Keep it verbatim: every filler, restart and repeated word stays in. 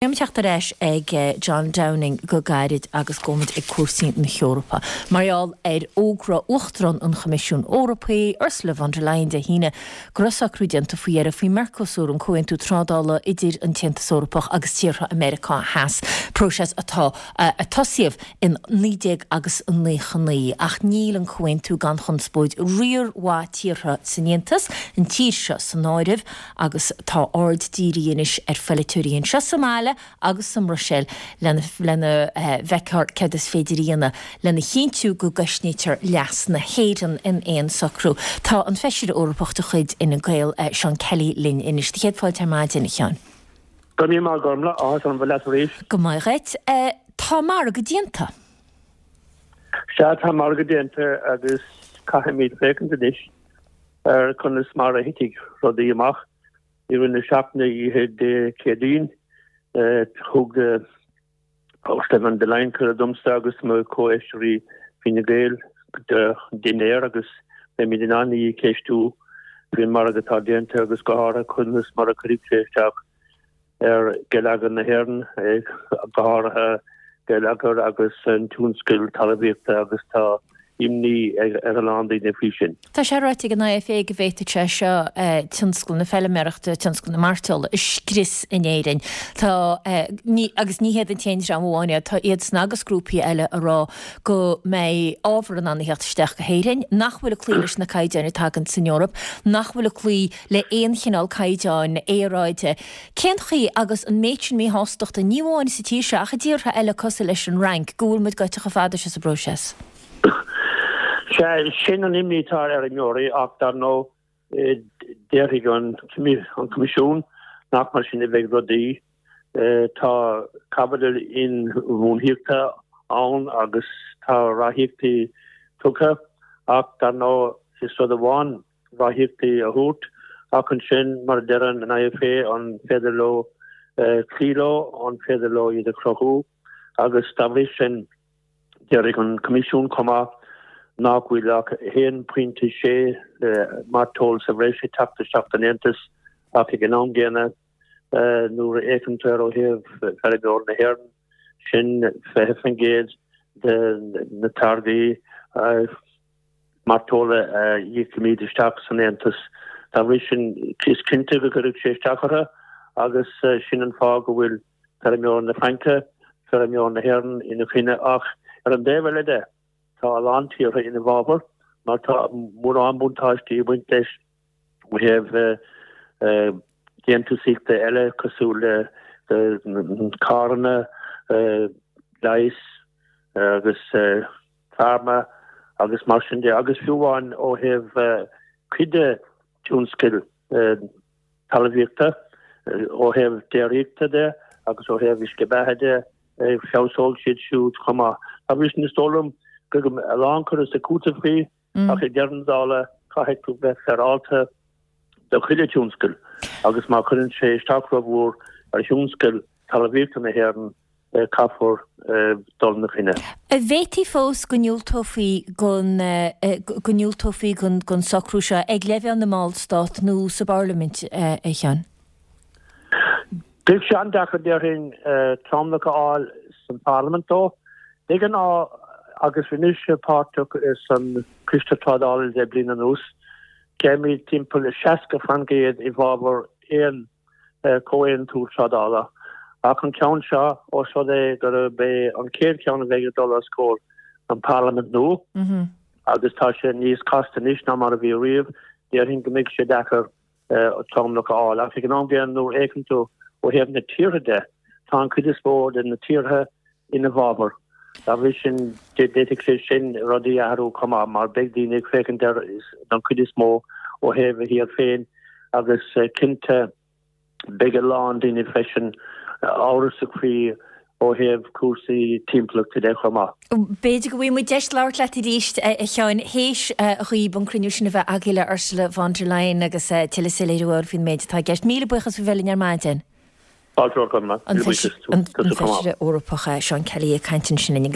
Beidh teacht ar ais ag John Downing go gairid agus gabhfaimid ag cúrsaí na hEorpa. Mar gheall ar fhógra Uachtarán an Choimisiúin Eorpaigh, Ursula von der Leyen Dé hAoine, go raibh socrú déanta faoi dheireadh faoi Mercosur, an comhaontú trádála idir an tAontas Eorpach agus tíortha Meiriceá Theas, próiseas atá a tosaíodh in naoi déag agus naocha naoi. Ach níl an comhaontú gan chonspóid riar mhaith tíortha san Aontas, an tír seo san áireamh, agus tá aird dírithe anois ar pholaiteoirí anseo sa mbaile agus sa mBruiséil lena lena bhfeiceáil céard is féidir a dhéanamh lena chinntiú go gcosnaítear leas na hÉireann in aon socrú. Tá an Feisire Eorpach de chuid Fhine Gael, Seán Kelly linn anois. Do chéad fáilte ar maidin, a Sheáin. Go raibh míle maith Gormlaith, áthas orm bheith leat arís. Go maith dhuit. Tá margadh déanta. Sea, tá margadh déanta agus caithfimid féachaint anois ar conas mar a thitfidh rudaí amach. I rith na seachtaine oíche Dé Céadaoin, thug Ursula von der Leyen cuireadh domsa agus mo chomhfheisirí Fine Gael do dhinnéar agus beimid in ann í a cheistiú faoin margadh atá déanta agus go háirithe conas mar a chuirfidh sé isteach ar gheilleagar na hÉireann, go háirithe geilleagar agus an tionscal talmhaíochta agus tá imní ar a lán daoine faoi sin. Tá sé ráite ag an IFA go bhféadfadh sé seo tionscal na feilméarachta, tionscal na mairteola a scrios in Éirinn. Tá, agus ní hiad an t-aon dream amháin iad, tá iadsan agus grúpaí eile a rá go mbeidh ábhar in ann a theacht isteach go hÉirinn nach bhfuil ag cloí leis na caighdeáin atá againn san Eoraip, nach bhfuil ag cloí le aon chineál caighdeáin aeráide. Cén chaoi, agus an méid sin míshástachta, ní amháin sa tír seo ach i dtíortha eile cosúil leis an Fhrainc, go bhfuil muid gaibhte chomh fada seo sa bpróiseas? Sea, sin an imní atá ar fheirmeoirí ach dar ndóigh déarfaidh an Coimisiún nach mar sin a bheidh rudaí. Tá caibidil inbhuanaitheachta ann agus tá ráthaíochtaí tugtha ach dar ndóigh is rud amháin ráthaíochtaí a thabhairt ach ansin, mar a deir an IFA, an féidir leo cloí leo, an féidir leo iad a chruthú agus dá bhrí sin déarfaidh an Coimisiún chomh maith nach bhfuil ach a haon pointe sé mairteoil sa bhreis ag teacht isteach don Aontas ach ag an am gcéanna nuair a fhéachann tú air ó thaobh feirmeoir na hÉireann, sin fiche faoin gcéad de na táirgí mairteola a íocaimid isteach san Aontas. Dá bhrí sin, is cinnte go gcuirfidh sé isteach orthu agus sin an fáth go bhfuil feirmeoir na Fraince, feirmeoir na hÉireann ina choinne. Ach ar an dtaobh eile de, tá a lán tíortha ina bhfabhar mar tá mórán buntáistí ag baint leis ó thaobh déantúsaíochta eile cosúil le carranna, leighis agus pharma agus mar sin de agus fiú amháin ó thaobh cuid de tionscail talmhaíochta, ó thaobh déiríochta de agus ó thaobh uisce beatha de, feabhsóidh siad siúd chomh maith. Dá bhrí sin is dóigh liom go mbeidh a lán cur is cúiteamh faoi ach ag deireadh na dála caithfidh tú bheith féaráilte do chuile tionscal agus má chuireann sé isteach rómhór ar thionscal talmhaíochta na hÉireann, caithfear dul ina choinne. An bhféadfaí fós go ndiúltófaí don go ndiúltófaí don socrú seo ag leibhéal na mballstát nó sa bParlaimint, a Sheáin? Bheadh sé an-deacair, déarfainn, tromlach a fháil san Pharlaimint dó. De ghnáth, agus bhí mise páirteach san Coiste Trádála le bliain anuas, gheibhimid timpeall seasca faoin gcéad i bhfabhar aon comhaontú trádála. Ach an ceann seo, ós rud é gurb é an chéad cheann a bheidh ag dul os comhair an Pharlaimint nua, agus tá sé níos casta anois ná mar a bhí riamh, déarfainn go mbeidh sé deacair tromlach a fháil. Ach ag an am gcéanna, nuair a fhéachann tú ó thaobh na tíortha de, tá an chuid is mó de na tíortha ina bhfabhar. Dá bhrí sin, d'fhéadfadh sé sin rudaí a athrú chomh maith, mar beidh daoine ag féachaint air don chuid is mó ó thaobh a thír féin agus cinnte beidh a lán daoine freisin amhrasach faoi ó thaobh cúrsaí timpeallachta de chomh maith. B'fhéidir go bhfaighidh muid deis labhairt leat arís, a Sheáin, théis dhaoib an cruinniú sin a bheith agaibh le Ursula von der Leyen agus tuilleadh soiléiriú a fháil faoin méid atá i gceist. Míle buíochas faoi bheith linn ar maidin. Fáilte romhat, Gormlaith. An Feisire Eorpach Seán Kelly ag caint ansin linn.